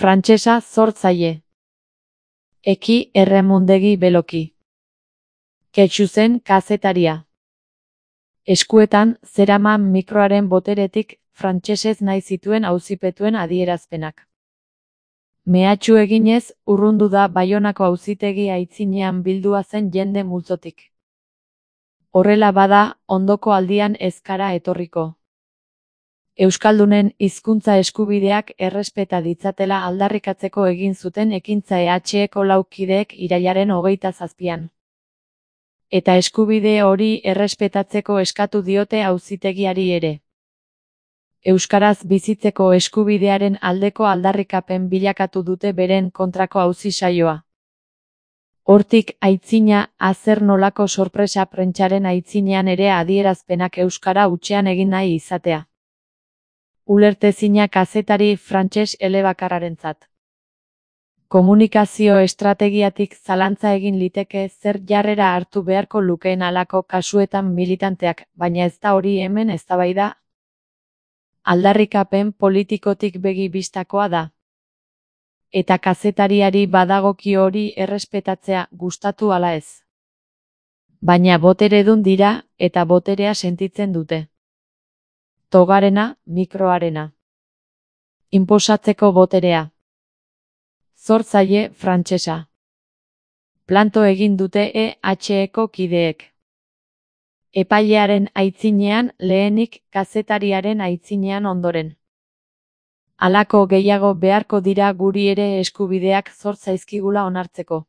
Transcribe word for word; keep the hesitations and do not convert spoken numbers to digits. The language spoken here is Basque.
Frantsesa sortzaile. Eki erremundegi beloki. Ketxuzen kazetaria. Eskuetan zeraman mikroaren boteretik frantsesez nahi zituen auzipetuen adierazpenak. Mehatxu eginez, urrundu da Baionako auzitegi aitzinean bildua zen jende multzotik. Horrela bada, ondoko aldian ez gara etorriko. Euskaldunen hizkuntza eskubideak errespeta ditzatela aldarrikatzeko egin zuten ekintza E H Eko lau kideek irailaren hogeita zazpian. Eta eskubide hori errespetatzeko eskatu diote auzitegiari ere. Euskaraz bizitzeko eskubidearen aldeko aldarrikapen bilakatu dute beren kontrako auzi saioa. Hortik aitzina, zer nolako sorpresa prentsaren aitzinean ere adierazpenak euskara hutsean egin nahi izatea. Ulertezina kazetari frantses elebakarrarentzat. Komunikazio estrategiatik zalantza egin liteke zer jarrera hartu beharko lukeen halako kasuetan militanteak, baina ez da hori hemen eztabaida. Aldarrikapen politikotik begi bistakoa da. Eta kazetariari badagokio hori errespetatzea, gustatu ala ez. Baina boteredun dira, eta boterea sentitzen dute. Togarena, mikroarena. Inposatzeko boterea. Sortzaile frantsesa. Planto egin dute E H Eko kideek. Epailearen aitzinean lehenik, kazetariaren aitzinean ondoren. Halako gehiago beharko dira guri ere eskubideak zor zaizkigula onartzeko.